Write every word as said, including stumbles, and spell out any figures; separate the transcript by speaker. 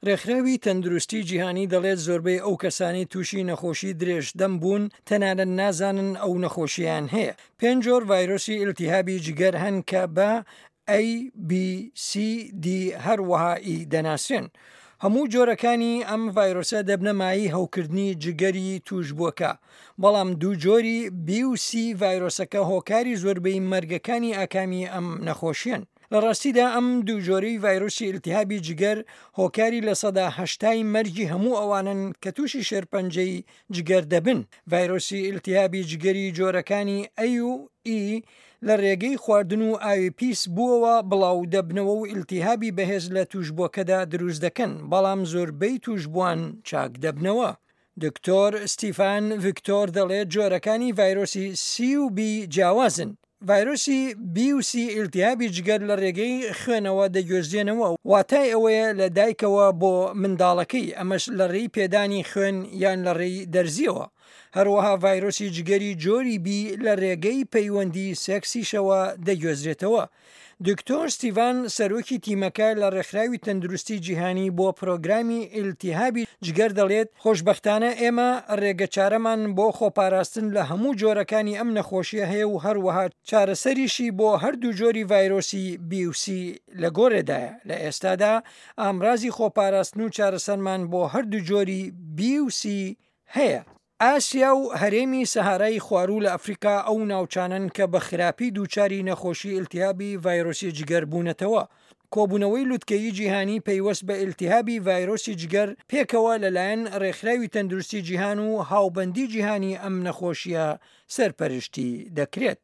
Speaker 1: ڕێکخراوی تەندروستی جیهانی دەڵێت زۆربەی ئەو کەسانەی تووشی نەخۆشی درێژدەم بوون تەنانەت نازانن ئەو نەخۆشییان هەیە. پێنج جۆر ڤایرۆسی ئیلتیهابی جگەر هەن کە بە A، B، C، D هەروەها E دەناسرێن. هەموو جۆرەکانی ئەم ڤایرۆسە دەبنە مایەی هەوکردنی جگەری تووشبووەکە، بەڵام دوو جۆری B و C ڤایرۆسەکە هۆکاری زۆربەی مەرگەکانی ئاکامی ئەم نەخۆشیەن. لە ڕاستیدا ئەم دوو جۆرەی ڤایرۆسی ئیلتیهابی جگەر هۆکاری لە سەدا هەشتای مەرگی هەموو ئەوانەن کە تووشی شێرپەنجەی جگەر دەبن. ڤایرۆسی ئیلتیهابی جگەری جۆرەکانی A و E لە ڕێگەی خواردن و ئاوی پیس بووەوە بڵاو دەبنەوە و ئیلتیهابی بەهێز لە تووشبووەکەدا دروست دەکەن، بەڵام زۆربەی تووشبووان چاک دەبنەوە. دکتۆر ستیفان ڤیکتۆر دەڵێت جۆرەکانی ڤایرۆسی سی و بی جیاوازن. ڤایرۆسی بی و سی ئیلتیهابی جگەر لە ڕێگەی خوێنەوە دەگوێزرێنەوە، واتای ئەوەیە لە دایکەوە بۆ منداڵەکەی، ئەمەش لە ڕێی پێدانی خوێن یان لە ڕێی دەرزیەوە. هەروەها ڤایرۆسی جگەری جۆری بی لە ڕێگەی پەیوەندی سێکسیشەوە دەگوێزرێتەوە. دکتۆر ستیڤان سەرۆکی تیمەکە لە ڕێکخراوی تەندروستی جیهانی بۆ پرۆگرامی ئیلتیهابی جگەر دەڵێت خۆشبەختانە ئێمە ڕێگەچارەمان بۆ خۆپاراستن لە هەموو جۆرەکانی ئەم نەخۆشیە هەیە و هەروەها چارەسەریشی بۆ هەردوو جۆری ڤایرۆسی بی و سی لە گۆڕێدایە. لە ئێستادا ئامرازی خۆپاراستن و چارەسەرمان بۆ هەردوو جۆری بی و سی هەیە. ئاسیا و هەرێمی سەهارای خواروو لە ئەفریقا ئەو ناوچانەن کە بە خراپی دووچاری نەخۆشی ئیلتیهابی ڤایرۆسی جگەر بوونەتەوە. کۆبوونەوەی لوتکەیی جیهانی پەیوەست بە ئیلتیهابی ڤایرۆسی جگەر پێکەوە لەلایەن ڕێکخراوی تەندروستی جیهان و هاوبەندی جیهانی ئەم نەخۆشیە سەرپەرشتی دەکرێت.